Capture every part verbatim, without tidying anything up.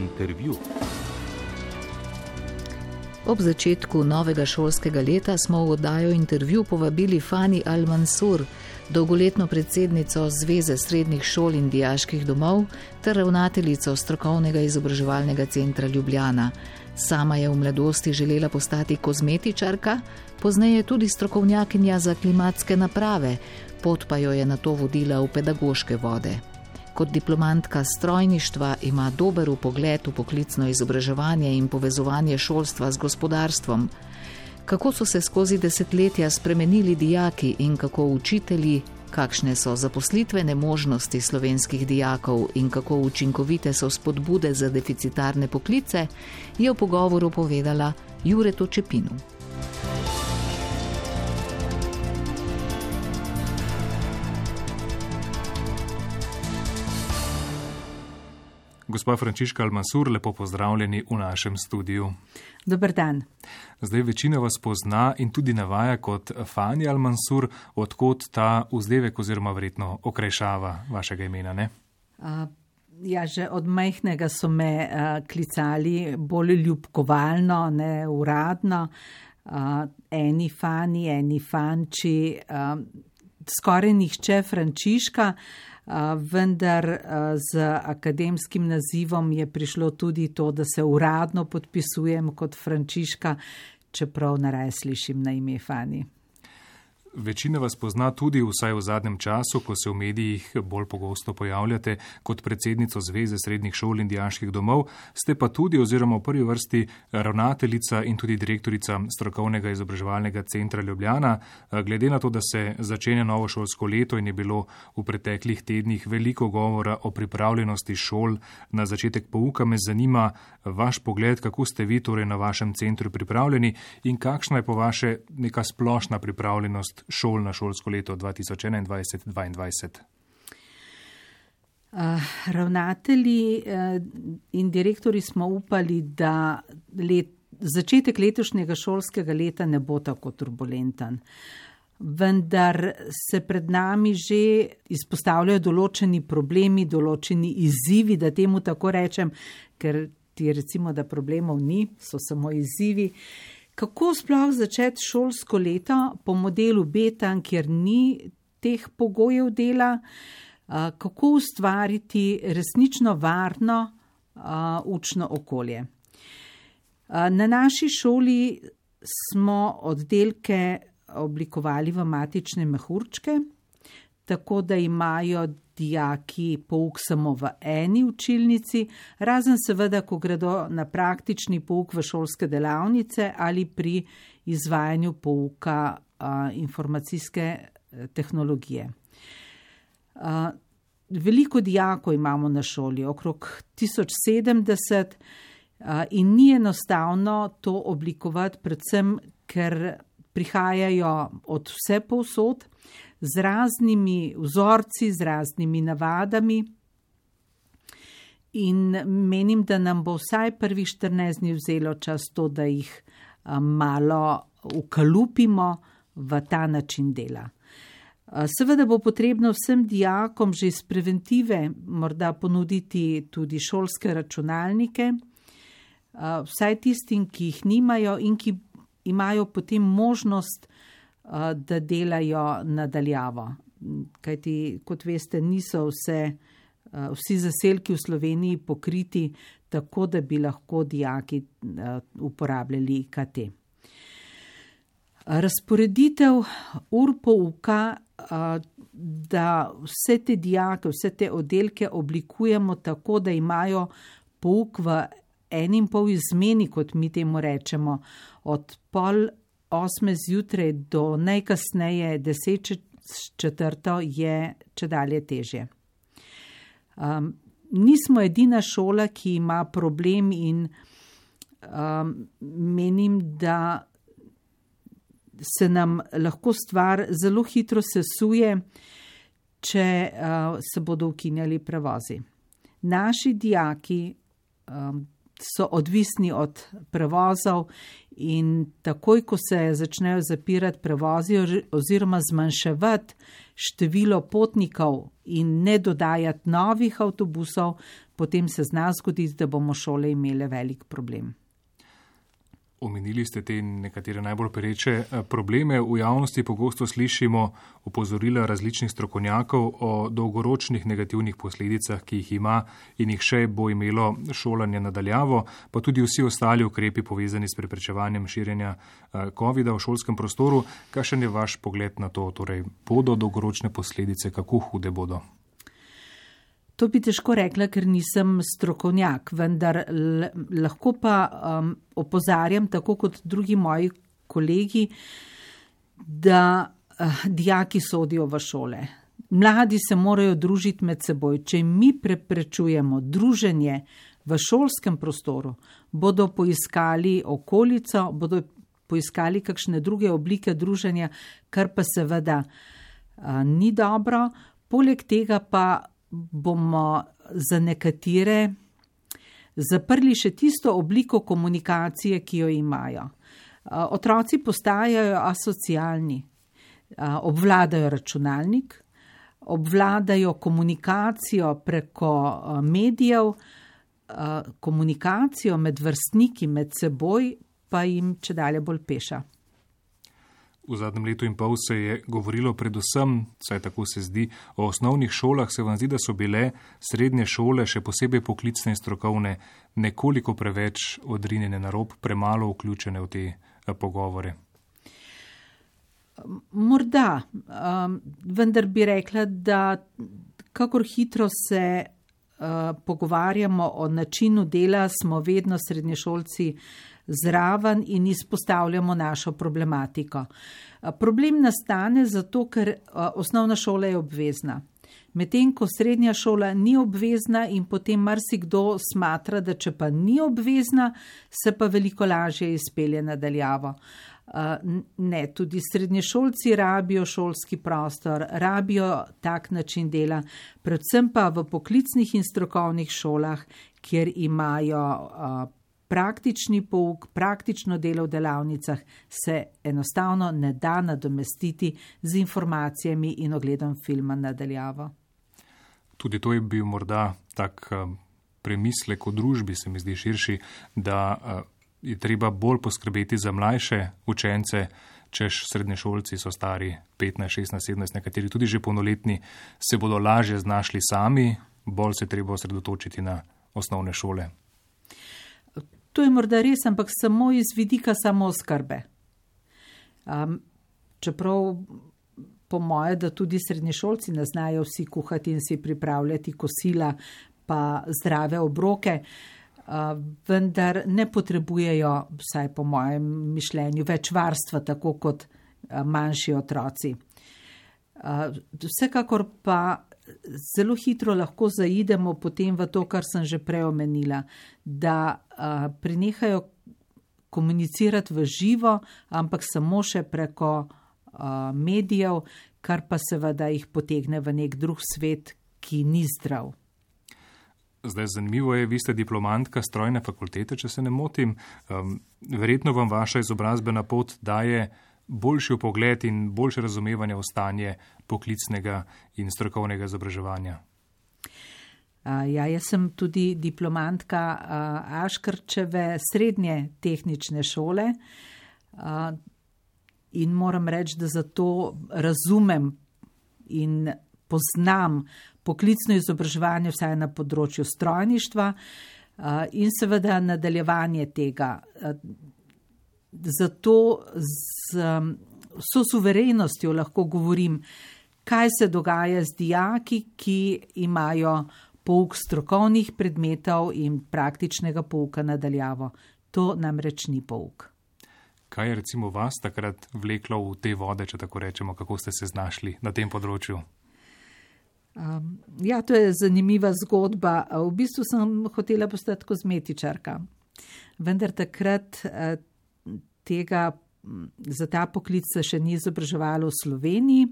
Intervju. Ob začetku novega šolskega leta smo v oddajo Intervju povabili Fani Al-Mansur, dolgoletno predsednico Zveze srednjih šol in dijaških domov ter ravnateljico strokovnega izobraževalnega centra Ljubljana. Sama je v mladosti želela postati kozmetičarka, pozneje tudi strokovnjakinja za klimatske naprave, pot pa jo je nato vodila v pedagoške vode. Kot diplomantka strojništva ima dober vpogled v poklicno izobraževanje in povezovanje šolstva z gospodarstvom. Kako so se skozi desetletja spremenili dijaki in kako učitelji, kakšne so zaposlitvene možnosti slovenskih dijakov in kako učinkovite so spodbude za deficitarne poklice, je v pogovoru povedala Juretu Čepinu. Gospa Frančiška Al-Mansur, lepo pozdravljeni v našem studiu. Dober dan. Zdaj večina vas pozna in tudi navaja kot Fani Al-Mansur, odkot ta vzdevek oziroma verjetno okrajšava vašega imena, ne? Uh, ja, že od majhnega so me uh, klicali bolj ljubkovalno, ne uradno. Uh, eni Fani, eni Fanči, uh, skoraj nihče Frančiška. Uh, vendar uh, z akademskim nazivom je prišlo tudi to, da se uradno podpisujem kot Frančiška, čeprav najraje slišim na ime Fani. Večina vas pozna tudi vsaj v zadnjem času, ko se v medijih bolj pogosto pojavljate kot predsednico Zveze srednjih šol in dijaških domov, ste pa tudi oziroma v prvi vrsti ravnateljica in tudi direktorica strokovnega izobraževalnega centra Ljubljana. Glede na to, da se začenja novo šolsko leto in je bilo v preteklih tednih veliko govora o pripravljenosti šol na začetek pouka, me zanima vaš pogled, kako ste vi torej na vašem centru pripravljeni in kakšna je po vaše neka splošna pripravljenost šol na šolsko leto dva tisoč enaindvajset dvaindvajset? Uh, ravnatelji uh, in direktori smo upali, da let, začetek letošnjega šolskega leta ne bo tako turbulenten. Vendar se pred nami že izpostavljajo določeni problemi, določeni izzivi, da temu tako rečem, ker ti recimo, da problemov ni, so samo izzivi. Kako sploh začeti šolsko leto po modelu Betan, kjer ni teh pogojev dela, kako ustvariti resnično varno učno okolje. Na naši šoli smo oddelke oblikovali v matične mehurčke, tako da imajo dijaki pouk samo v eni učilnici, razen seveda, ko gredo na praktični pouk v šolske delavnice ali pri izvajanju pouka a, informacijske tehnologije. A, veliko dijakov imamo na šoli, okrog tisoč sedemdeset, a, in ni enostavno to oblikovati, predvsem, ker prihajajo od vse povsod, z raznimi vzorci, z raznimi navadami in menim, da nam bo vsaj prvih štirinajst dni vzelo čas to, da jih malo ukalupimo v ta način dela. Seveda bo potrebno vsem dijakom že iz preventive morda ponuditi tudi šolske računalnike, vsaj tistim, ki jih nimajo in ki imajo potem možnost, da delajo nadaljavo. Kajti, kot veste, niso vse, vsi zaselki v Sloveniji pokriti tako, da bi lahko dijaki uporabljali I K T. Razporeditev ur pouka, da vse te dijake, vse te oddelke oblikujemo tako, da imajo pouk v en in pol izmeni, kot mi temu rečemo, od pol osme zjutraj do najkasneje deset četrto je čedalje težje. Um, nismo edina šola, ki ima problem in um, menim, da se nam lahko stvar zelo hitro sesuje, če uh, se bodo ukinjali prevozi. Naši dijaki um, so odvisni od prevozov in takoj, ko se začnejo zapirati prevozi oziroma zmanjševati število potnikov in ne dodajati novih avtobusov, potem se zna zgoditi, da bomo šole imele velik problem. Omenili ste te nekatere najbolj pereče probleme. V javnosti pogosto slišimo opozorila različnih strokovnjakov o dolgoročnih negativnih posledicah, ki jih ima in jih še bo imelo šolanje nadaljavo, pa tudi vsi ostali ukrepi povezani s preprečevanjem širjenja covida v šolskem prostoru. Kakšen je vaš pogled na to? Torej, bodo dolgoročne posledice, kako hude bodo? To bi težko rekla, ker nisem strokovnjak, vendar l- lahko pa um, opozarjam, tako kot drugi moji kolegi, da uh, dijaki sodijo v šole. Mladi se morajo družiti med seboj. Če mi preprečujemo druženje v šolskem prostoru, bodo poiskali okolico, bodo poiskali kakšne druge oblike druženja, kar pa seveda uh, ni dobro. Poleg tega pa bomo za nekatere zaprli še tisto obliko komunikacije, ki jo imajo. Otroci postajajo asocialni, obvladajo računalnik, obvladajo komunikacijo preko medijev, komunikacijo med vrstniki, med seboj pa jim čedalje bolj peša. V zadnjem letu in pol se je govorilo predvsem, saj tako se zdi, o osnovnih šolah. Se vam zdi, da so bile srednje šole, še posebej poklicne in strokovne, nekoliko preveč odrinjene na rob, premalo vključene v te pogovore? Morda, um, vendar bi rekla, da kakor hitro se uh, pogovarjamo o načinu dela, smo vedno srednješolci zraven in izpostavljamo našo problematiko. Problem nastane zato, ker osnovna šola je obvezna. Medtem ko srednja šola ni obvezna in potem marsikdo smatra, da če pa ni obvezna, se pa veliko lažje izpelje nadaljavo. Ne, tudi srednješolci rabijo šolski prostor, rabijo tak način dela, predvsem pa v poklicnih in strokovnih šolah, kjer imajo praktični pouk, praktično delo v delavnicah, se enostavno ne da nadomestiti z informacijami in ogledom filma nadaljavo. Tudi to je bil morda tak premislek o družbi, se mi zdi širši, da je treba bolj poskrbeti za mlajše učence, češ srednješolci so stari petnajst, šestnajst, sedemnajst, nekateri tudi že polnoletni, se bodo lažje znašli sami, bolj se treba osredotočiti na osnovne šole. To je morda res, ampak samo iz vidika samooskrbe. Um, čeprav po moje, da tudi srednješolci ne znajo vsi kuhati in si pripravljati kosila pa zdrave obroke, uh, vendar ne potrebujejo, vsaj po mojem mišljenju, več varstva, tako kot uh, manjši otroci. Uh, vsekakor pa zelo hitro lahko zaidemo potem v to, kar sem že prej omenila, da uh, prenehajo komunicirati v živo, ampak samo še preko uh, medijev, kar pa seveda jih potegne v nek drug svet, ki ni zdrav. Zdaj, zanimivo je, vi ste diplomantka strojne fakultete, če se ne motim. Um, verjetno vam vaša izobrazbena pot daje boljši vpogled in boljše razumevanje v stanje poklicnega in strokovnega izobraževanja. Ja, jaz sem tudi diplomantka Aškrčeve srednje tehnične šole in moram reči, da zato razumem in poznam poklicno izobraževanje vsaj na področju strojništva in seveda nadaljevanje tega. Zato z vso suverenostjo lahko govorim, kaj se dogaja z dijaki, ki imajo pouk strokovnih predmetov in praktičnega pouka nadaljavo. To namreč ni pouk. Kaj je recimo vas takrat vleklo v te vode, če tako rečemo, kako ste se znašli na tem področju? Um, ja, to je zanimiva zgodba. V bistvu sem hotela postati kozmetičarka, vendar takrat uh, tega za ta poklic se še ni izobraževalo v Sloveniji.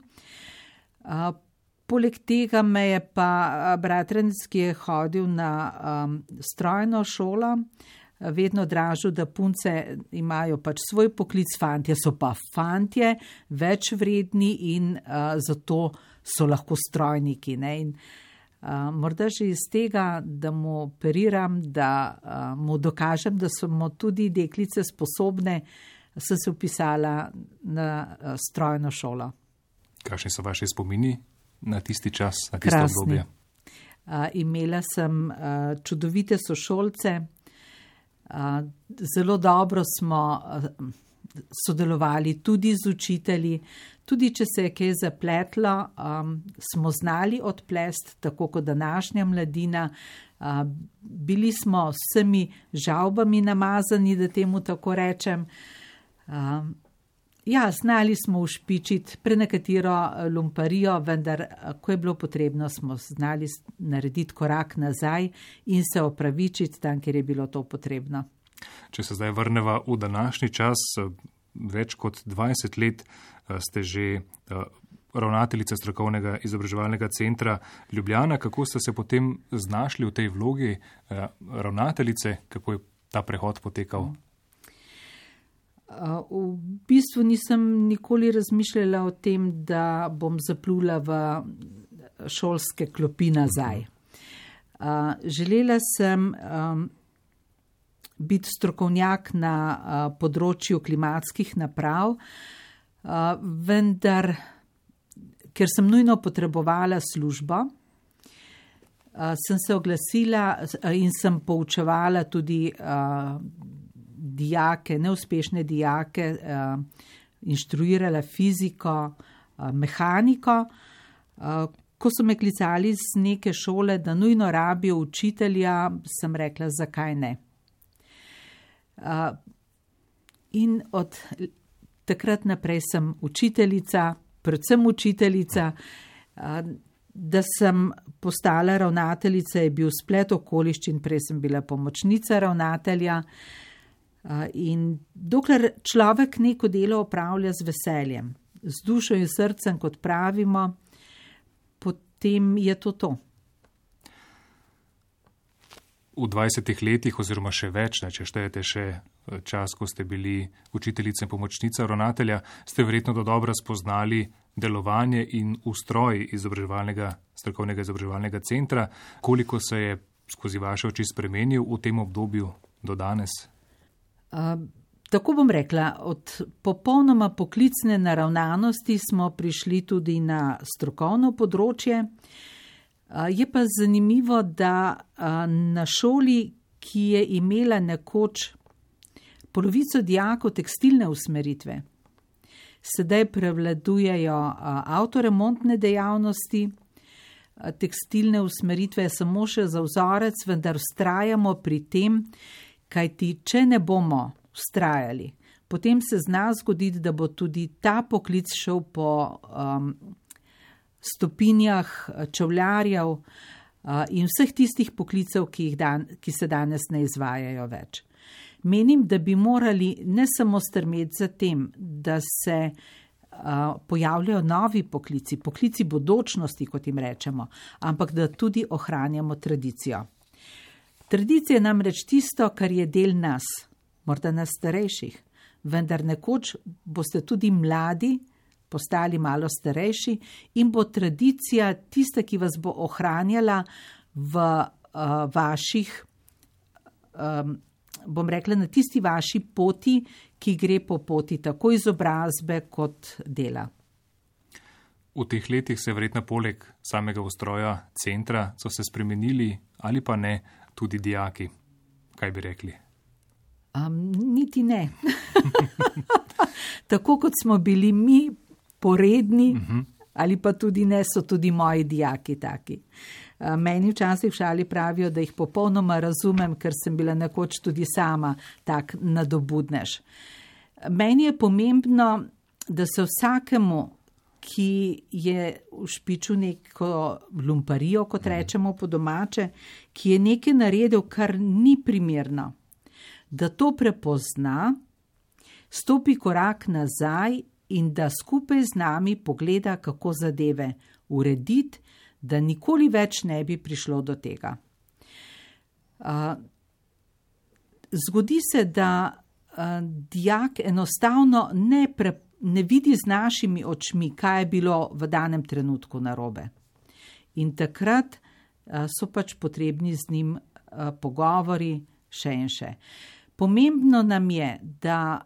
Uh, poleg tega me je pa bratranec, ki je hodil na um, strojno šolo, vedno dražil, da punce imajo pač svoj poklic, fantje so pa fantje, več vredni in uh, zato so lahko strojniki. Ne? In morda že iz tega, da mu operiram, da uh, mu dokažem, da smo tudi deklice sposobne, sem se upisala na uh, strojno šolo. Kakšni so vaši spomini na tisti čas, na tisto Krasni. obdobje? Uh, imela sem uh, čudovite sošolce, uh, zelo dobro smo uh, sodelovali tudi z učitelji, tudi če se je kaj zapletlo, um, smo znali odplest, tako kot današnja mladina. Uh, bili smo s vsemi žavbami namazani, da temu tako rečem. Uh, ja, znali smo ušpičiti prenekatero lumparijo, vendar, ko je bilo potrebno, smo znali narediti korak nazaj in se opravičiti tam, kjer je bilo to potrebno. Če se zdaj vrneva v današnji čas, več kot dvajset let ste že ravnateljica strokovnega izobraževalnega centra Ljubljana. Kako ste se potem znašli v tej vlogi ravnateljice? Kako je ta prehod potekal? V bistvu nisem nikoli razmišljala o tem, da bom zaplula v šolske klopi nazaj. Želela sem biti strokovnjak na področju klimatskih naprav, vendar, ker sem nujno potrebovala službo, sem se oglasila in sem poučevala tudi dijake, neuspešne dijake, inštruirala fiziko, mehaniko. Ko so me klicali z neke šole, da nujno rabijo učitelja, sem rekla, zakaj ne. In od takrat naprej sem učiteljica, predvsem učiteljica. Da sem postala ravnateljica, je bil splet okoliščin, prej sem bila pomočnica ravnatelja. In dokler človek neko delo opravlja z veseljem, z dušo in srcem, kot pravimo, potem je to to. V dvajsetih letih oziroma še več, ne, če štejete še čas, ko ste bili učiteljica in pomočnica ravnatelja, ste verjetno do dobro spoznali delovanje in ustroj izobraževalnega, strokovnega izobraževalnega centra. Koliko se je skozi vaše oči spremenil v tem obdobju do danes? Uh, tako bom rekla, od popolnoma poklicne naravnanosti smo prišli tudi na strokovno področje. Uh, je pa zanimivo, da uh, na šoli, ki je imela nekoč polovico dijakov tekstilne usmeritve, sedaj prevladujejo uh, avtoremontne dejavnosti. Uh, tekstilne usmeritve je samo še za vzorec, vendar vztrajamo pri tem, kajti če ne bomo vztrajali, potem se zna zgoditi, da bo tudi ta poklic šel po um, stopinjah čevljarjev uh, in vseh tistih poklicev, ki, jih dan, ki se danes ne izvajajo več. Menim, da bi morali ne samo strmeti za tem, da se uh, pojavljajo novi poklici, poklici bodočnosti, kot jim rečemo, ampak da tudi ohranjamo tradicijo. Tradicija je namreč tisto, kar je del nas, morda nas starejših, vendar nekoč boste tudi mladi postali malo starejši in bo tradicija tista, ki vas bo ohranjala v uh, vaših, um, bom rekla, na tisti vaši poti, ki gre po poti tako izobrazbe kot dela. V teh letih se verjetno poleg samega ustroja centra so se spremenili ali pa ne tudi dijaki. Kaj bi rekli? Um, niti ne. Tako kot smo bili mi poredni, uh-huh. ali pa tudi ne, so tudi moji dijaki taki. Uh, meni včasih v šali pravijo, da jih popolnoma razumem, ker sem bila nekoč tudi sama tak nadobudnež. Meni je pomembno, da se vsakemu, ki je v špiču neko lumparijo, kot rečemo po domače, ki je nekaj naredil, kar ni primerno, da to prepozna, stopi korak nazaj in da skupaj z nami pogleda, kako zadeve urediti, da nikoli več ne bi prišlo do tega. Uh, zgodi se, da uh, dijak enostavno ne prepoznava, ne vidi z našimi očmi, kaj je bilo v danem trenutku narobe. In takrat so pač potrebni z njim pogovori še in še. Pomembno nam je, da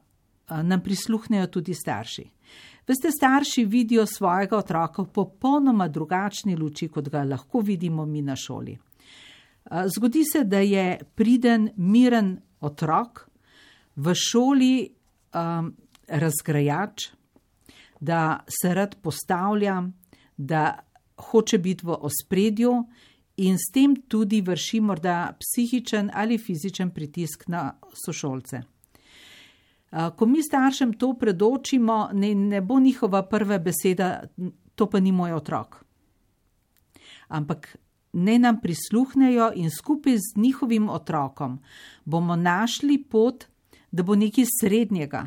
nam prisluhnejo tudi starši. Veste, starši vidijo svojega otroka v popolnoma drugačni luči, kot ga lahko vidimo mi na šoli. Zgodi se, da je priden, miren otrok v šoli um, razgrajač, da se rad postavlja, da hoče biti v ospredju in s tem tudi vrši morda psihičen ali fizičen pritisk na sošolce. Ko mi staršem to predočimo, ne, ne bo njihova prva beseda, to pa ni moj otrok. Ampak ne nam prisluhnejo in skupaj z njihovim otrokom bomo našli pot, da bo nekaj srednjega,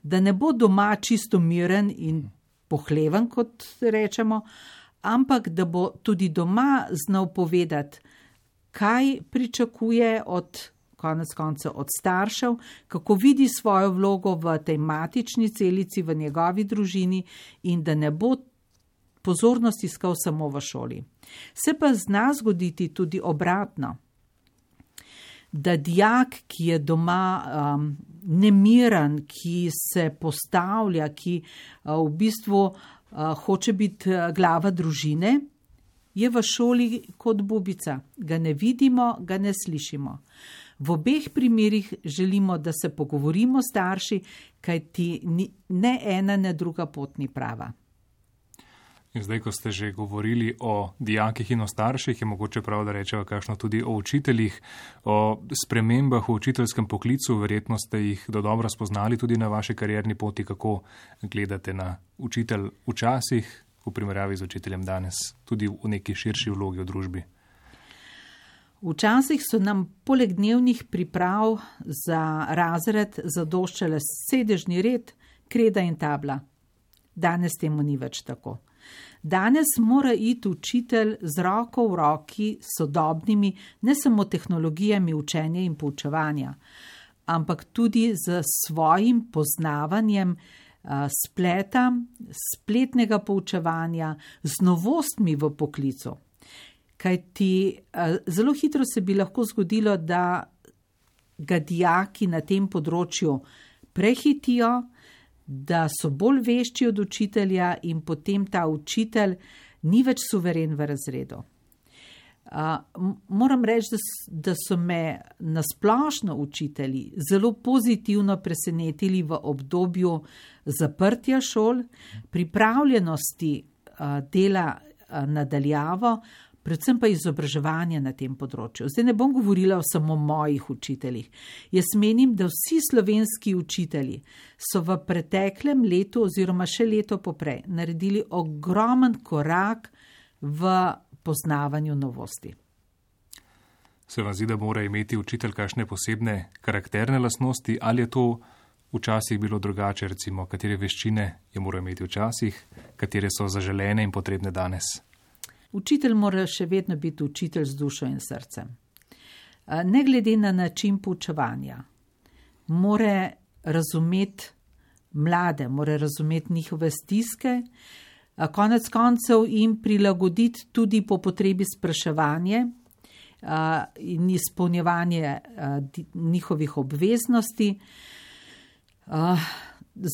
da ne bo doma čisto miren in pohleven, kot rečemo, ampak da bo tudi doma znal povedati, kaj pričakuje od konec koncev od staršev, kako vidi svojo vlogo v tej matični celici, v njegovi družini in da ne bo pozornost iskal samo v šoli. Se pa zna zgoditi tudi obratno, da dijak, ki je doma um, nemiren, ki se postavlja, ki uh, v bistvu uh, hoče biti glava družine, je v šoli kot bubica. Ga ne vidimo, ga ne slišimo. V obeh primerih želimo, da se pogovorimo starši, kajti ne ena, ne druga pot ni prava. In zdaj, ko ste že govorili o dijakih in o starših, je mogoče prav, da rečeva kakšno tudi o učiteljih, o spremembah v učiteljskem poklicu. Verjetno ste jih dodobra spoznali tudi na vaši karierni poti, kako gledate na učitelj včasih v primerjavi z učiteljem danes, tudi v neki širši vlogi v družbi. Včasih so nam poleg dnevnih priprav za razred zadoščale sedežni red, kreda in tabla. Danes temu ni več tako. Danes mora iti učitelj z roko v roki sodobnimi, ne samo tehnologijami učenja in poučevanja, ampak tudi z svojim poznavanjem uh, spleta, spletnega poučevanja, z novostmi v poklicu. Kajti uh, zelo hitro se bi lahko zgodilo, da ga dijaki na tem področju prehitijo, da so bolj vešči od učitelja in potem ta učitelj ni več suveren v razredu. Uh, moram reči, da, da so me nasplošno učitelji zelo pozitivno presenetili v obdobju zaprtja šol, pripravljenosti uh, dela uh, nadaljavo, predvsem pa izobraževanja na tem področju. Zdaj ne bom govorila o samo mojih učiteljih. Jaz menim, da vsi slovenski učitelji so v preteklem letu oziroma še leto poprej naredili ogromen korak v poznavanju novosti. Se vam zdi, da mora imeti učitelj kakšne posebne karakterne lastnosti, ali je to včasih bilo drugače, recimo, katere veščine je moral imeti včasih, katere so zaželene in potrebne danes? Učitelj mora še vedno biti učitelj z dušo in srcem. Ne glede na način poučevanja, mora razumeti mlade, mora razumeti njihove stiske, konec koncev jim prilagoditi tudi po potrebi spraševanje in izpolnjevanje njihovih obveznosti.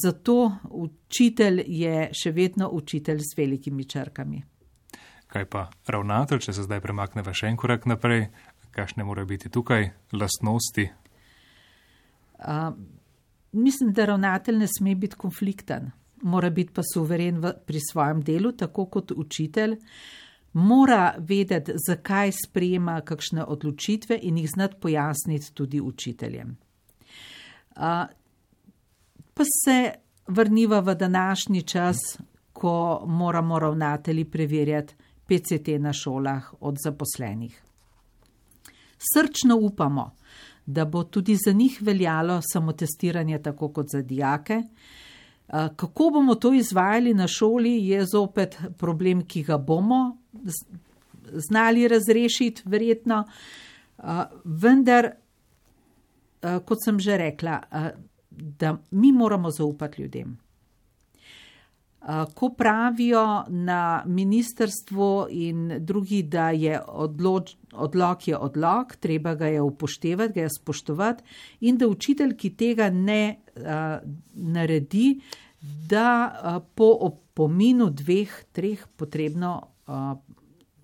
Zato učitelj je še vedno učitelj s velikimi črkami. Kaj pa ravnatelj, če se zdaj premakneva še en korak naprej, kakšne morajo biti tukaj lastnosti? Uh, mislim, da ravnatelj ne sme biti konflikten, mora biti pa suveren v, pri svojem delu, tako kot učitelj. Mora vedeti, zakaj sprejema kakšne odločitve in jih znati pojasniti tudi učiteljem. Uh, pa se vrniva v današnji čas, ko moramo ravnatelji preverjati P C T na šolah od zaposlenih. Srčno upamo, da bo tudi za njih veljalo samotestiranje tako kot za dijake. Kako bomo to izvajali na šoli, je zopet problem, ki ga bomo znali razrešiti, verjetno. Vendar, kot sem že rekla, da mi moramo zaupati ljudem. Ko pravijo na ministrstvu in drugi, da je odloč, odlok je odlok, treba ga je upoštevati, ga je spoštovati in da učitelj, ki tega ne a, naredi, da a, po opominu dveh, treh potrebno a,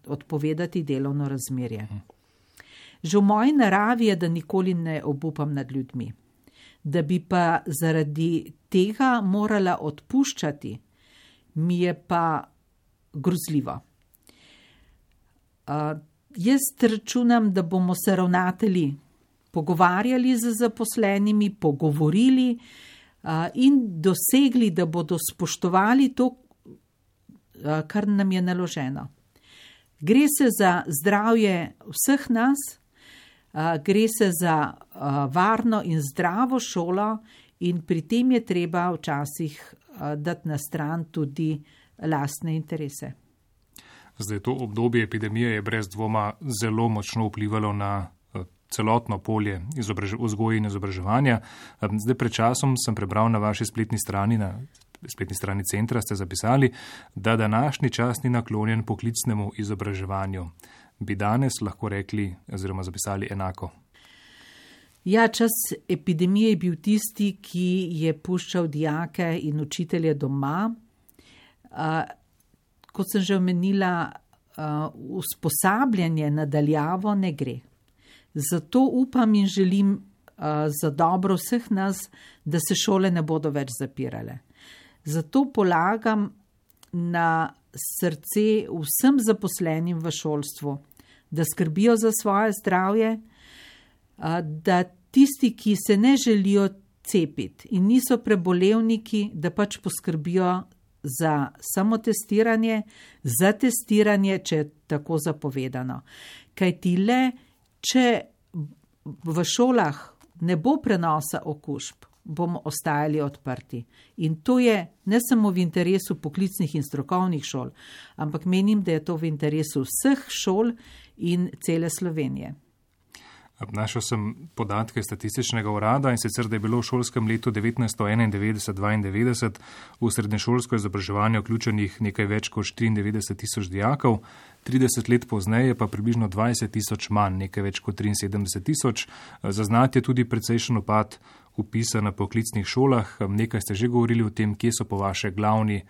odpovedati delovno razmerje. Že v moji naravi je, da nikoli ne obupam nad ljudmi, da bi pa zaradi tega morala odpuščati, mi je pa grozljivo. Uh, jaz računam, da bomo se ravnatelji pogovarjali z zaposlenimi, pogovorili uh, in dosegli, da bodo spoštovali to, uh, kar nam je naloženo. Gre se za zdravje vseh nas, uh, gre se za uh, varno in zdravo šolo in pri tem je treba včasih dati na stran tudi lastne interese. Zdaj, to obdobje epidemije je brez dvoma zelo močno vplivalo na celotno polje vzgoje in izobraževanja. Zdaj, pred časom sem prebral na vaši spletni strani, na spletni strani centra, ste zapisali, da današnji čas ni naklonjen poklicnemu izobraževanju. Bi danes lahko rekli oziroma zapisali enako? Ja, čas epidemije je bil tisti, ki je puščal dijake in učitelje doma. Uh, kot sem že omenila, uh, usposabljanje nadaljavo ne gre. Zato upam in želim uh, za dobro vseh nas, da se šole ne bodo več zapirale. Zato polagam na srce vsem zaposlenim v šolstvu, da skrbijo za svoje zdravje, uh, da tisti, ki se ne želijo cepiti in niso prebolevniki, da pač poskrbijo za samotestiranje, za testiranje, če je tako zapovedano. Kajti le, če v šolah ne bo prenosa okužb, bomo ostajali odprti. In to je ne samo v interesu poklicnih in strokovnih šol, ampak menim, da je to v interesu vseh šol in cele Slovenije. Našel sem podatke statističnega urada in sicer, da je bilo v šolskem letu devetnajststo enaindevetdeset dvaindevetdeset v srednješolsko izobraževanje vključenih nekaj več kot štiriindevetdeset tisoč dijakov, trideset let pozneje pa približno dvajset tisoč manj, nekaj več kot triinsedemdeset tisoč. Zaznati je tudi precejšen upad vpisa na poklicnih šolah. Nekaj ste že govorili o tem, kje so po vaše glavni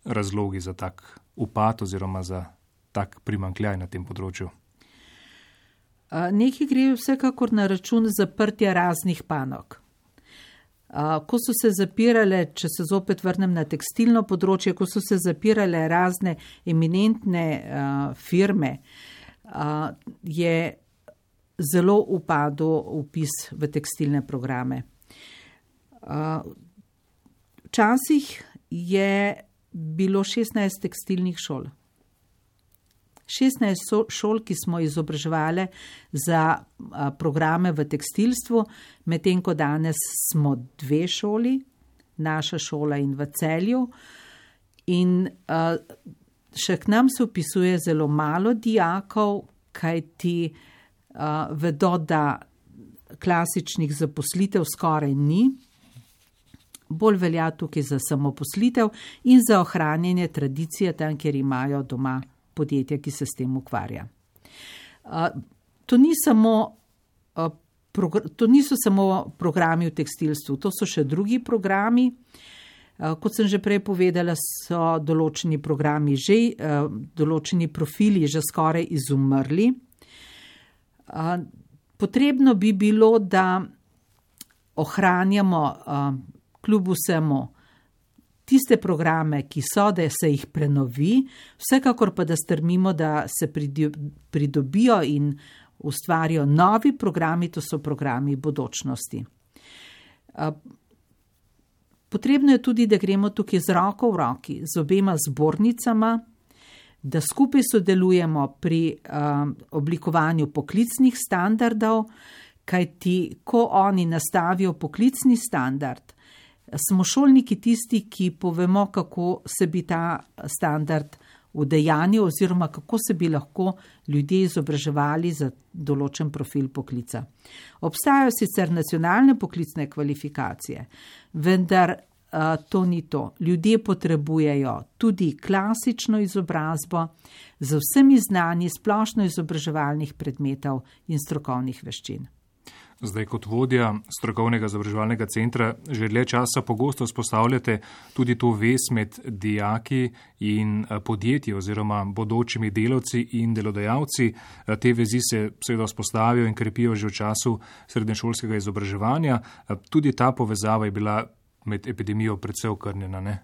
razlogi za tak upad oziroma za tak primanjkljaj na tem področju. Nekaj gre vsekakor na račun zaprtja raznih panog. Ko so se zapirale, če se zopet vrnem na tekstilno področje, ko so se zapirale razne eminentne firme, je zelo upadel vpis v tekstilne programe. Včasih je bilo šestnajst tekstilnih šol. šestnajst šol, ki smo izobraževali za programe v tekstilstvu, medtem ko danes smo dve šoli, naša šola in v Celju. In še k nam se vpisuje zelo malo dijakov, kajti vedo, da klasičnih zaposlitev skoraj ni. Bolj velja tukaj za samoposlitev in za ohranjanje tradicije tam, kjer imajo doma podjetja, ki se s tem ukvarja. To ni samo, to niso samo programi v tekstilstvu, to so še drugi programi. Kot sem že prej povedala, so določeni programi že, določeni profili že skoraj izumrli. Potrebno bi bilo, da ohranjamo kljub vsemu tiste programe, ki so, da se jih prenovi, vsekakor pa da strmimo, da se pridobijo in ustvarijo novi programi, to so programi bodočnosti. Potrebno je tudi, da gremo tukaj z roko v roki, z obema zbornicama, da skupaj sodelujemo pri oblikovanju poklicnih standardov, kajti ko oni nastavijo poklicni standard, smo šolniki tisti, ki povemo, kako se bi ta standard udejanil oziroma kako se bi lahko ljudje izobraževali za določen profil poklica. Obstajajo sicer nacionalne poklicne kvalifikacije, vendar to ni to. Ljudje potrebujejo tudi klasično izobrazbo z vsemi znanji splošno izobraževalnih predmetov in strokovnih veščin. Zdaj, kot vodja strokovnega izobraževalnega centra, že dlje časa pogosto vzpostavljate tudi to vez med dijaki in podjetji oziroma bodočimi delavci in delodajalci. Te vezi se seveda vzpostavijo in krepijo že v času srednješolskega izobraževanja. Tudi ta povezava je bila med epidemijo predvsej okrnjena, ne?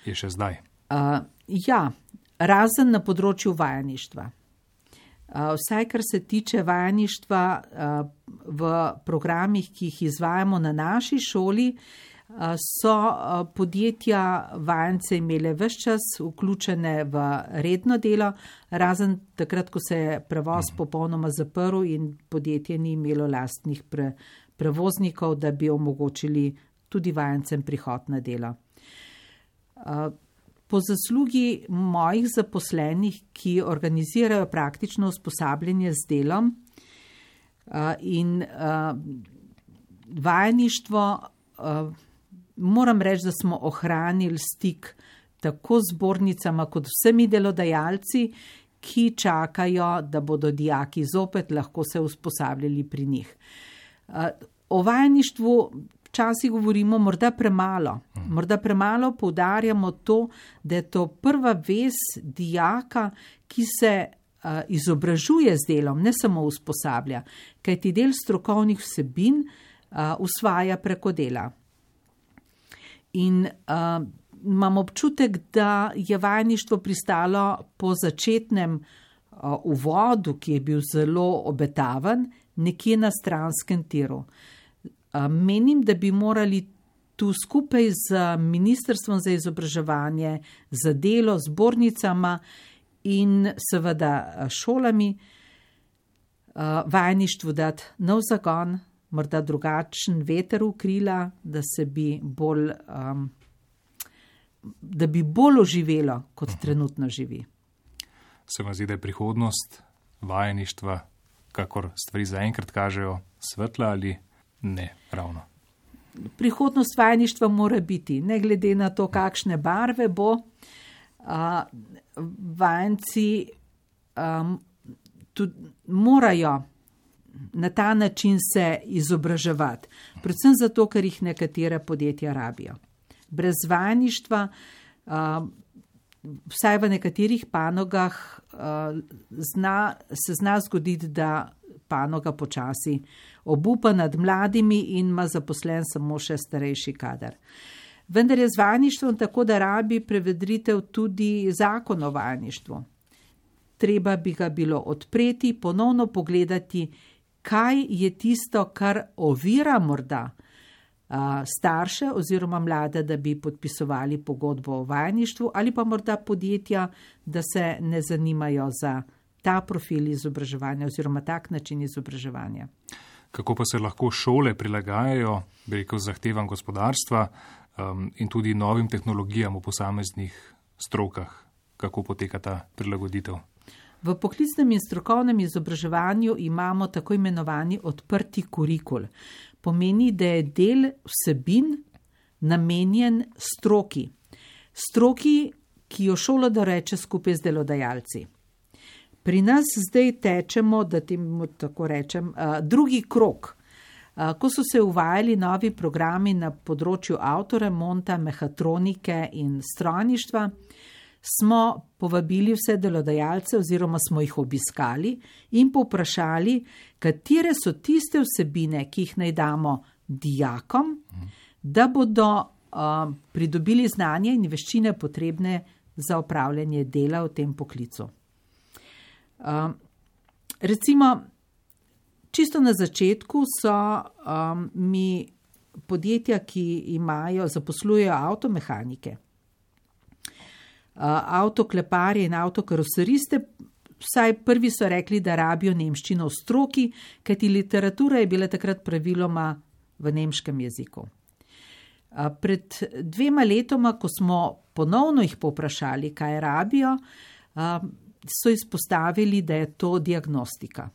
Je še zdaj. Uh, ja, razen na področju vajeništva. Vsaj, kar se tiče vajeništva v programih, ki jih izvajamo na naši šoli, so podjetja vajence imele ves čas vključene v redno delo, razen takrat, ko se je prevoz popolnoma zaprl in podjetje ni imelo lastnih pre, prevoznikov, da bi omogočili tudi vajencem prihod na delo. Po zaslugi mojih zaposlenih, ki organizirajo praktično usposabljanje z delom in vajeništvo, moram reči, da smo ohranili stik tako z zbornicama kot vsemi delodajalci, ki čakajo, da bodo dijaki zopet lahko se usposabljali pri njih. O vajeništvu včasih govorimo morda premalo. Morda premalo poudarjamo to, da je to prva vez dijaka, ki se uh, izobražuje z delom, ne samo usposablja, kajti del strokovnih vsebin uh, usvaja preko dela. In uh, imam občutek, da je vajeništvo pristalo po začetnem uh, uvodu, ki je bil zelo obetaven, nekje na stranskem tiru. Menim, da bi morali tu skupaj z Ministrstvom za izobraževanje, za delo, zbornicama in seveda šolami vajeništvu dati nov zagon, morda drugačen veter v krila, da se bi bolj, um, da bi bolj oživelo, kot trenutno živi. Se vam zdi, da je prihodnost vajeništva, kakor stvari zaenkrat kažejo, svetla ali ne ravno? Prihodnost vajeništva mora biti, ne glede na to, kakšne barve bo, a, vajenci a, tudi morajo na ta način se izobraževati. Predvsem zato, ker jih nekatere podjetja rabijo. Brez vajeništva, a, vsaj v nekaterih panogah, a, zna, se zna zgoditi, da panoga počasi obupa nad mladimi in ima zaposlen samo še starejši kader. Vendar je z vajeništvom tako, da rabi prevedritev tudi zakon o vajeništvu. Treba bi ga bilo odpreti, ponovno pogledati, kaj je tisto, kar ovira morda a, starše oziroma mlade, da bi podpisovali pogodbo o vajeništvu, ali pa morda podjetja, da se ne zanimajo za ta profil izobraževanja oziroma tak način izobraževanja. Kako pa se lahko šole prilagajajo, bi rekel, zahtevam gospodarstva um, in tudi novim tehnologijam v posameznih strokah? Kako poteka ta prilagoditev? V poklicnem in strokovnem izobraževanju imamo tako imenovani odprti kurikul. Pomeni, da je del vsebin namenjen stroki. Stroki, ki jo šola doreče skupaj z delodajalci. Pri nas zdaj tečemo, da temu tako rečem, drugi krog. Ko so se uvajali novi programi na področju avtoremonta, mehatronike in strojništva, smo povabili vse delodajalce oziroma smo jih obiskali in povprašali, katere so tiste vsebine, ki jih naj damo dijakom, da bodo uh, pridobili znanje in veščine potrebne za opravljanje dela v tem poklicu. Uh, recimo, čisto na začetku so um, mi podjetja, ki imajo, zaposlujejo avtomehanike, uh, avtokleparje in avtokaroseriste, vsaj prvi so rekli, da rabijo nemščino v stroki, kajti literatura je bila takrat praviloma v nemškem jeziku. Uh, pred dvema letoma, ko smo ponovno jih povprašali, kaj rabijo, uh, so izpostavili, da je to diagnostika.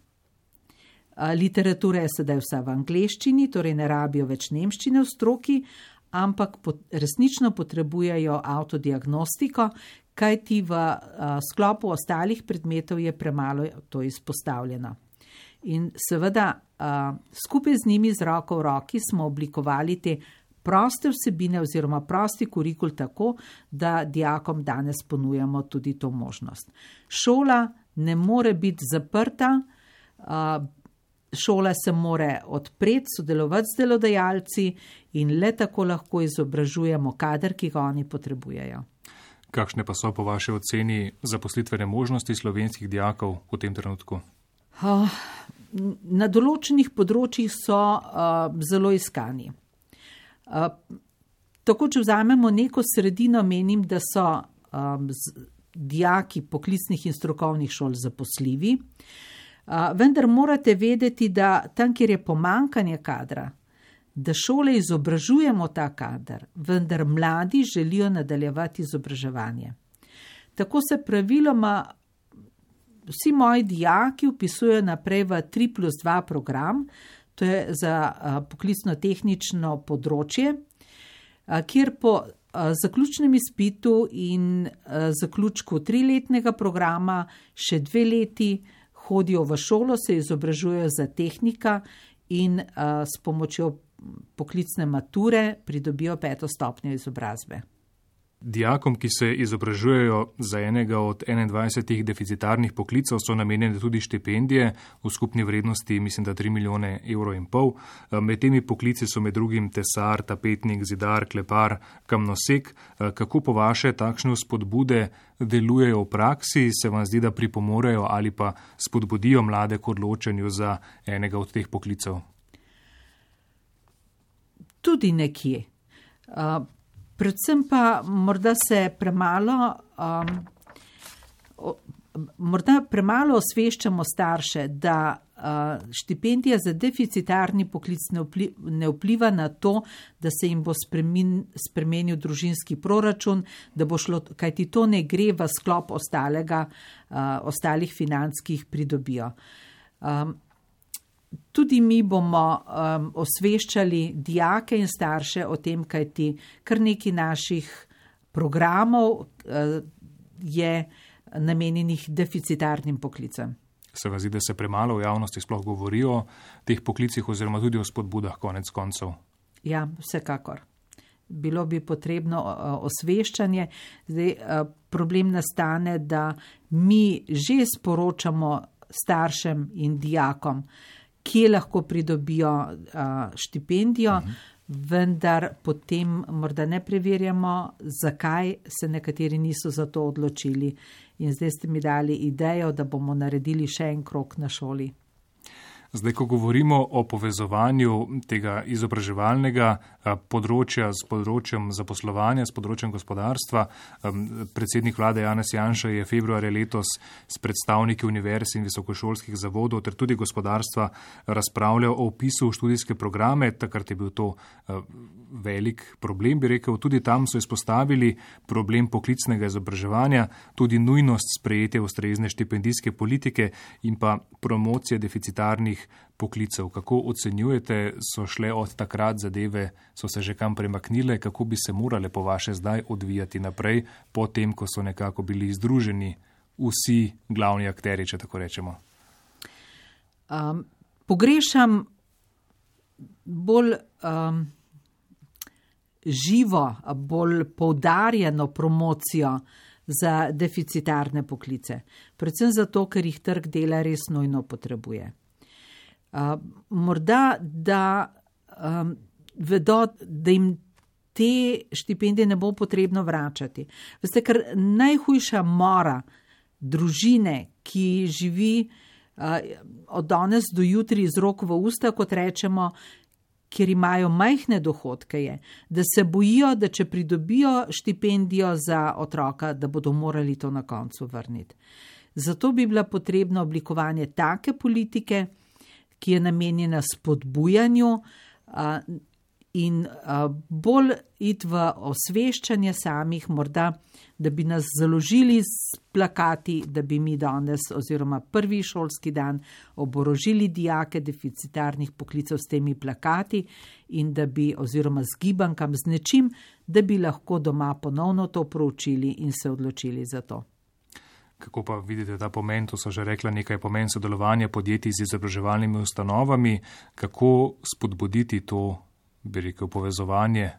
Literatura je sedaj vsa v angleščini, torej ne rabijo več nemščine v stroki, ampak resnično potrebujejo avtodiagnostiko, kajti v sklopu ostalih predmetov je premalo to izpostavljeno. In seveda skupaj z njimi z roko v roki smo oblikovali te proste vsebine oziroma prosti kurikul tako, da dijakom danes ponujamo tudi to možnost. Šola ne more biti zaprta, šola se more odpreti, sodelovati z delodajalci in le tako lahko izobražujemo kader, ki ga oni potrebujejo. Kakšne pa so po vaši oceni zaposlitvene možnosti slovenskih dijakov v tem trenutku? Na določenih področjih so zelo iskani. Uh, tako, če vzamemo neko sredino, menim, da so um, z, dijaki poklicnih in strokovnih šol zaposljivi, uh, vendar morate vedeti, da tam, kjer je pomankanje kadra, da šole izobražujemo ta kader, vendar mladi želijo nadaljevati izobraževanje. Tako se praviloma vsi moji dijaki vpisujejo naprej v tri plus dva program, to je za poklicno-tehnično področje, kjer po zaključnem izpitu in zaključku triletnega programa še dve leti hodijo v šolo, se izobražujejo za tehnika in s pomočjo poklicne mature pridobijo peto stopnjo izobrazbe. Dijakom, ki se izobražujejo za enega od enaindvajsetih deficitarnih poklicov, so namenjene tudi štipendije v skupni vrednosti, mislim, da tri milijone evrov in pol. Med temi poklici so med drugim tesar, tapetnik, zidar, klepar, kamnosek. Kako po vaše takšne spodbude delujejo v praksi? Se vam zdi, da pripomorejo ali pa spodbudijo mlade k odločanju za enega od teh poklicov? Tudi nekje. Uh... Predvsem pa morda se premalo, um, morda premalo osveščamo starše, da uh, štipendija za deficitarni poklic ne, vpli, ne vpliva na to, da se jim bo spremin, spremenil družinski proračun, da bo šlo, kajti to ne gre v sklop ostalega, uh, ostalih financ, ki jih pridobijo. Um, Tudi mi bomo um, osveščali dijake in starše o tem, kajti kar nekaj naših programov uh, je namenjenih deficitarnim poklicem. Se vam zdi, da se premalo v javnosti sploh govori o teh poklicih oziroma tudi o spodbudah konec koncev? Ja, vsekakor. Bilo bi potrebno uh, osveščanje. Zdaj, uh, problem nastane, da mi že sporočamo staršem in dijakom, kje lahko pridobijo uh, štipendijo, uh-huh. vendar potem morda ne preverjamo, zakaj se nekateri niso za to odločili. In zdaj ste mi dali idejo, da bomo naredili še en krog na šoli. Zdaj, ko govorimo o povezovanju tega izobraževalnega področja s področjem zaposlovanja, s področjem gospodarstva, predsednik vlade Janez Janša je februarja letos s predstavniki univerz in visokošolskih zavodov ter tudi gospodarstva razpravljal o vpisu v študijske programe. Takrat je bil to velik problem, bi rekel. Tudi tam so izpostavili problem poklicnega izobraževanja, tudi nujnost sprejetja ustrezne štipendijske politike in pa promocije deficitarnih poklicev. Kako ocenjujete, so šle od takrat zadeve, so se že kam premaknile, kako bi se morale po vaše zdaj odvijati naprej, potem, ko so nekako bili združeni vsi glavni akteri, če tako rečemo? Um, pogrešam bolj um, živo, bolj poudarjeno promocijo za deficitarne poklice. Predvsem zato, ker jih trg dela res nujno potrebuje. Uh, morda, da um, vedo, da jim te štipendije ne bo potrebno vračati. Veste, ker najhujša mora družine, ki živi uh, od danes do jutri z rok v usta, kot rečemo, kjer imajo majhne dohodke, je, da se bojijo, da če pridobijo štipendijo za otroka, da bodo morali to na koncu vrniti. Zato bi bila potrebna oblikovanje take politike, ki je namenjena spodbujanju in bolj iti v osveščanje samih, morda, da bi nas založili s plakati, da bi mi danes oziroma prvi šolski dan oborožili dijake deficitarnih poklicev s temi plakati in da bi oziroma z gibankam z nečim, da bi lahko doma ponovno to proučili in se odločili za to. Kako pa vidite ta pomen, to so že rekla nekaj pomen sodelovanja podjetij z izobraževalnimi ustanovami, kako spodbuditi to, bi rekel, povezovanje,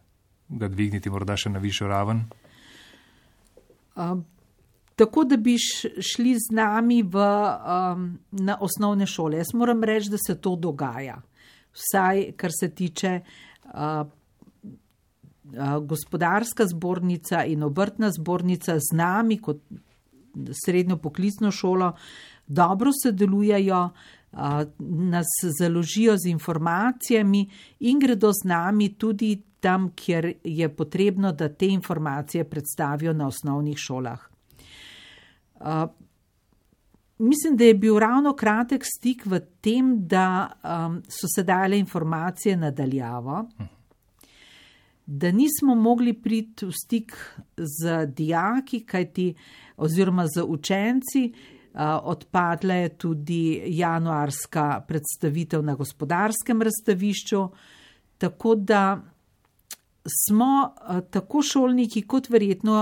ga dvigniti morda še na višjo raven? Um, tako, da bi šli z nami v, um, na osnovne šole. Jaz moram reči, da se to dogaja. Vsaj, kar se tiče uh, uh, gospodarska zbornica in obrtna zbornica z nami kot srednjo poklicno šolo dobro sodelujejo, nas založijo z informacijami in gredo z nami tudi tam, kjer je potrebno, da te informacije predstavijo na osnovnih šolah. Mislim, da je bil ravno kratek stik v tem, da so se dale informacije nadaljavo, da nismo mogli priti v stik z dijaki, kajti oziroma z učenci. Odpadla je tudi januarska predstavitev na gospodarskem razstavišču, tako da smo tako šolniki kot verjetno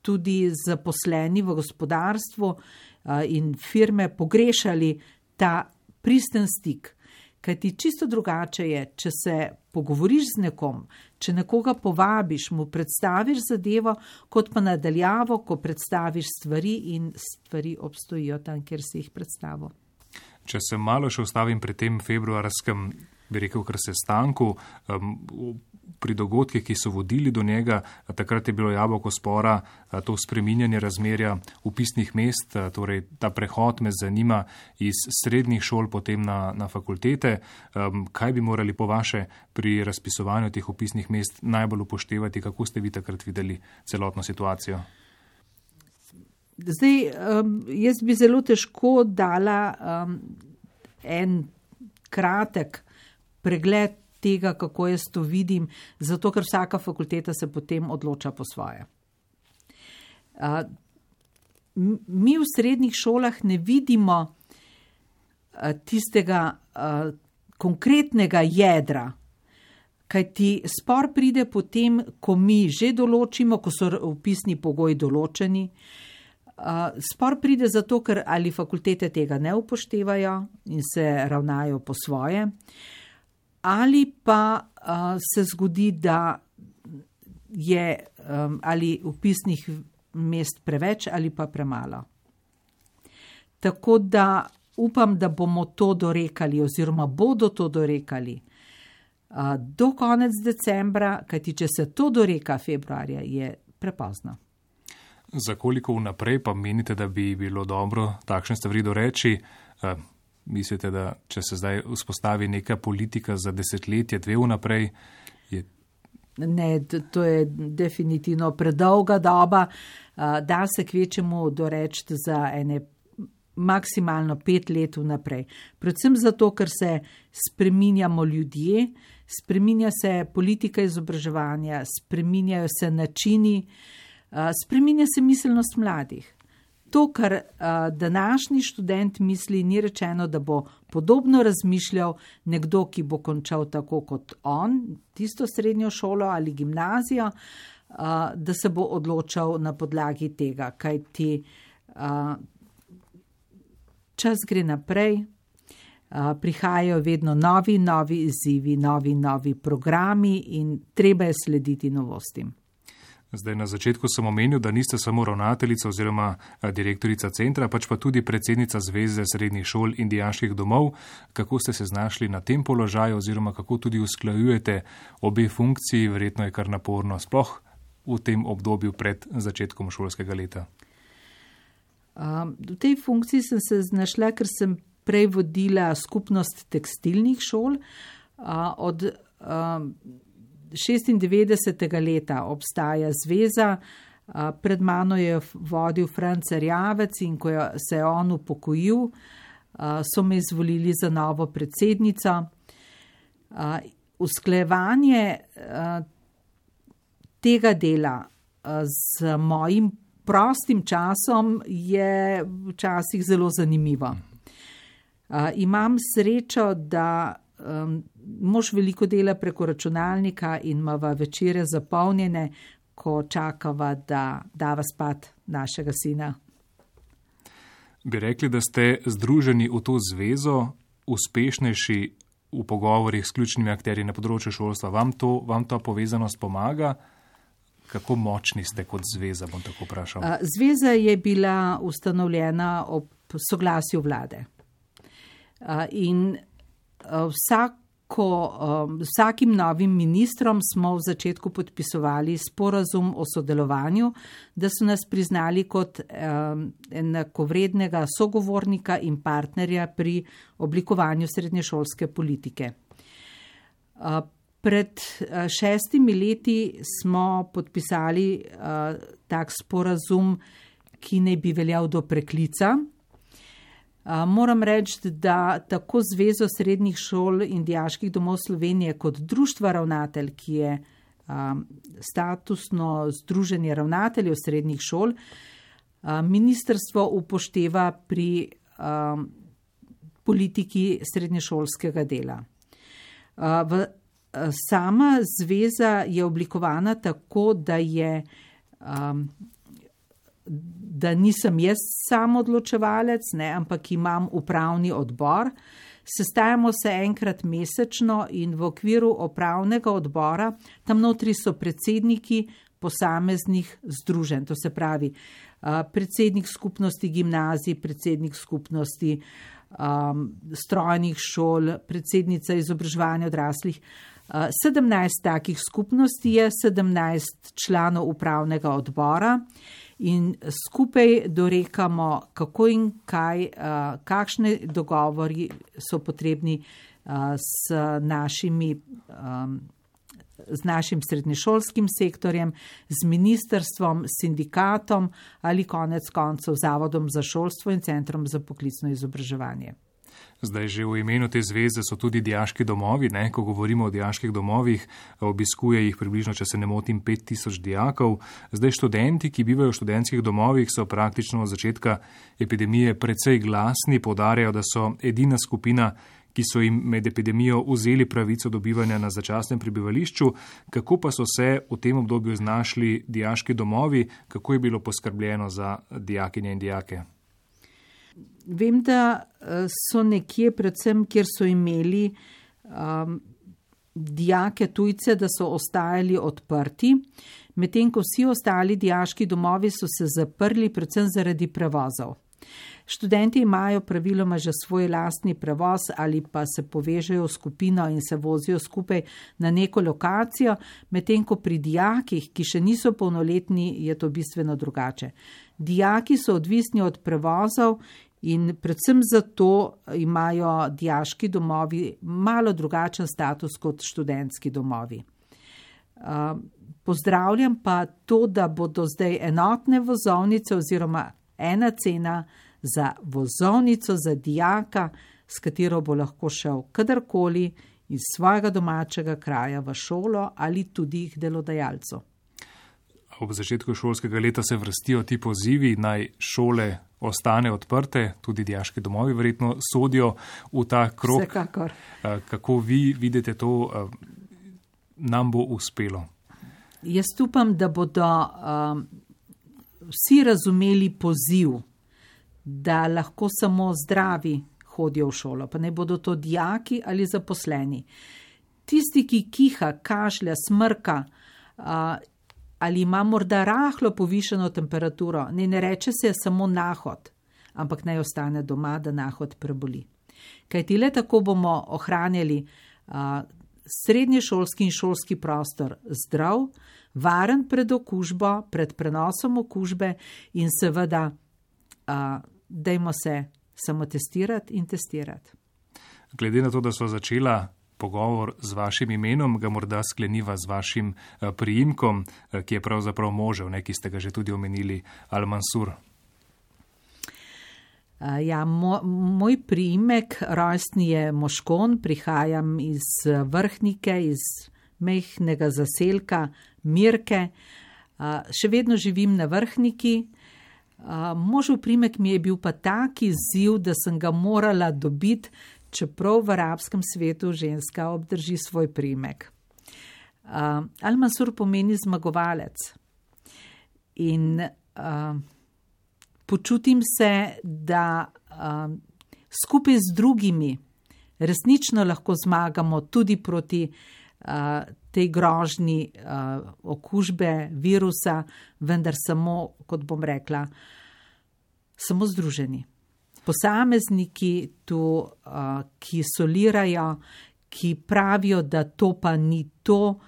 tudi zaposleni v gospodarstvu in firme pogrešali ta pristen stik. Kajti čisto drugače je, če se pogovoriš z nekom, če nekoga povabiš, mu predstaviš zadevo, kot pa nadaljavo, ko predstaviš stvari in stvari obstojijo tam, kjer si jih predstavil. Če se malo še ustavim pri tem februarskem, bi rekel, kar sestanku, um, pri dogodkih, ki so vodili do njega, takrat je bilo jabolko spora, to spreminjanje razmerja vpisnih mest, torej ta prehod me zanima iz srednjih šol potem na, na fakultete. Um, kaj bi morali po vaše pri razpisovanju teh vpisnih mest najbolj upoštevati, kako ste vi takrat videli celotno situacijo? Zdaj, um, jaz bi zelo težko dala um, en kratek pregled tega, kako jaz to vidim, zato ker vsaka fakulteta se potem odloča po svoje. Uh, mi v srednjih šolah ne vidimo uh, tistega uh, konkretnega jedra, kajti spor pride potem, ko mi že določimo, ko so vpisni pogoji določeni. Uh, spor pride zato, ker ali fakultete tega ne upoštevajo in se ravnajo po svoje, ali pa uh, se zgodi, da je um, ali vpisnih mest preveč ali pa premalo. Tako da upam, da bomo to dorekali oziroma bodo to dorekali uh, do konec decembra, kajti če se to doreka februarja, je prepozno. Za koliko vnaprej pa menite, da bi bilo dobro takšne stvari doreči? Uh, Mislite, da če se zdaj vzpostavi neka politika za desetletje, dve vnaprej? Je... Ne, to je definitivno predolga doba. Da se kvečemu doreči za ene maksimalno pet let vnaprej. Predvsem zato, ker se spreminjamo ljudje, spreminja se politika izobraževanja, spreminjajo se načini, spreminja se miselnost mladih. To, kar uh, današnji študent misli, ni rečeno, da bo podobno razmišljal nekdo, ki bo končal tako kot on, tisto srednjo šolo ali gimnazijo, uh, da se bo odločal na podlagi tega, kajti uh, čas gre naprej, uh, prihajajo vedno novi, novi izzivi, novi, novi programi in treba je slediti novostim. Zdaj, na začetku sem omenil, da niste samo ravnateljica oziroma direktorica centra, pač pa tudi predsednica Zveze srednjih šol in dijaških domov. Kako ste se znašli na tem položaju oziroma kako tudi usklajujete obe funkciji? Verjetno je kar naporno, sploh v tem obdobju pred začetkom šolskega leta. Um, v tej funkciji sem se znašla, ker sem prej vodila skupnost tekstilnih šol. Uh, od um, šestindevetdesetega leta obstaja zveza, pred mano je vodil Franc Erjavec in ko se je on upokojil, so me izvolili za novo predsednico. usklajevanje tega dela z mojim prostim časom je včasih zelo zanimivo. Imam srečo, da mož veliko dela preko računalnika in imava večere zapolnjene, ko čakava, da dava spat našega sina. Bi rekli, da ste združeni v to zvezo, uspešnejši v pogovorih s ključnimi akterji na področju šolstva. Vam to, vam ta povezanost pomaga? Kako močni ste kot zveza, bom tako vprašal? Zveza je bila ustanovljena ob soglasju vlade. In vsako, vsakim novim ministrom smo v začetku podpisovali sporazum o sodelovanju, da so nas priznali kot enakovrednega sogovornika in partnerja pri oblikovanju srednješolske politike. Pred šestimi leti smo podpisali tak sporazum, ki naj bi veljal do preklica. Moram reči, da tako Zvezo srednjih šol in dijaških domov Slovenije kot Društva ravnatelj, ki je statusno združenje ravnateljev srednjih šol, ministrstvo upošteva pri politiki srednješolskega dela. Sama zveza je oblikovana tako, da je da nisem jaz sam odločevalec, ne, ampak imam upravni odbor. Sestajamo se enkrat mesečno in v okviru upravnega odbora, tam notri so predsedniki posameznih združenj, to se pravi predsednik skupnosti gimnazij, predsednik skupnosti um, strojnih šol, predsednica izobraževanja odraslih. sedemnajst takih skupnosti je, sedemnajst članov upravnega odbora. In skupaj dorekamo, kako in kaj, kakšne dogovori so potrebni s, našimi, z našim srednješolskim sektorjem, z ministrstvom, sindikatom ali konec koncev Zavodom za šolstvo in Centrom za poklicno izobraževanje. Zdaj že v imenu te zveze so tudi dijaški domovi, ne? Ko govorimo o dijaških domovih, obiskuje jih približno, če se ne motim, pet tisoč dijakov. Zdaj študenti, ki bivajo v študentskih domovih, so praktično od začetka epidemije precej glasni, poudarjajo, da so edina skupina, ki so jim med epidemijo vzeli pravico dobivanja na začasnem prebivališču. Kako pa so se v tem obdobju znašli dijaški domovi, kako je bilo poskrbljeno za dijakinje in dijake? Vem, da so nekje, predvsem, kjer so imeli um, dijake tujce, da so ostajali odprti, medtem ko vsi ostali dijaški domovi so se zaprli predvsem zaradi prevozov. Študenti imajo praviloma že svoj lastni prevoz ali pa se povežejo v skupino in se vozijo skupaj na neko lokacijo, medtem ko pri dijakih, ki še niso polnoletni, je to bistveno drugače. Dijaki so odvisni od prevozov in predvsem zato imajo dijaški domovi malo drugačen status kot študentski domovi. Pozdravljam pa to, da bodo zdaj enotne vozovnice oziroma ena cena za vozovnico za dijaka, s katero bo lahko šel kadarkoli iz svojega domačega kraja v šolo ali tudi k delodajalcu. Ob začetku šolskega leta se vrstijo ti pozivi, naj šole ostane odprte, tudi dijaški domovi verjetno sodijo v ta krog. Vsekakor. Kako vi vidite to, nam bo uspelo? Jaz upam, da bodo um, vsi razumeli poziv, da lahko samo zdravi hodijo v šolo, pa ne bodo to dijaki ali zaposleni. Tisti, ki kiha, kašlja, smrka, uh, ali ima morda rahlo povišeno temperaturo, ne, ne reče se samo nahod, ampak naj ostane doma, da nahod preboli. Kajti le tako bomo ohranjali uh, srednješolski in šolski prostor zdrav, varen pred okužbo, pred prenosom okužbe in seveda uh, dajmo se samo testirati in testirati. Glede na to, da so začela pogovor z vašim imenom, ga morda skleniva z vašim priimkom, ki je pravzaprav možev, ne, ki ste ga že tudi omenili, Al-Mansur. Ja, mo, moj priimek rojstni je Moškon, prihajam iz Vrhnike, iz mehkega zaselka Mirke. Še vedno živim na Vrhniki. Možev priimek mi je bil pa tak izziv, da sem ga morala dobiti, čeprav v arabskem svetu ženska obdrži svoj priimek. Al-Mansur pomeni zmagovalec. In uh, počutim se, da uh, skupaj z drugimi resnično lahko zmagamo tudi proti uh, tej grožnji uh, okužbe virusa, vendar samo, kot bom rekla, samo združeni. Posamezniki tu, uh, ki solirajo, ki pravijo, da to pa ni to,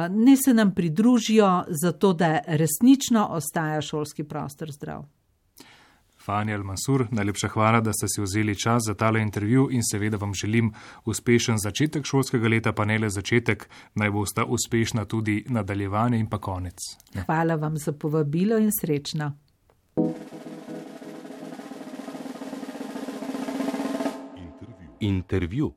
ne se nam pridružijo, zato da resnično ostaja šolski prostor zdrav. Fani Al-Mansur, najlepša hvala, da ste si vzeli čas za tale intervju in seveda vam želim uspešen začetek šolskega leta, pa ne le začetek, naj bosta uspešna tudi nadaljevanje in pa konec. Ja. Hvala vam za povabilo in srečno. Intervju.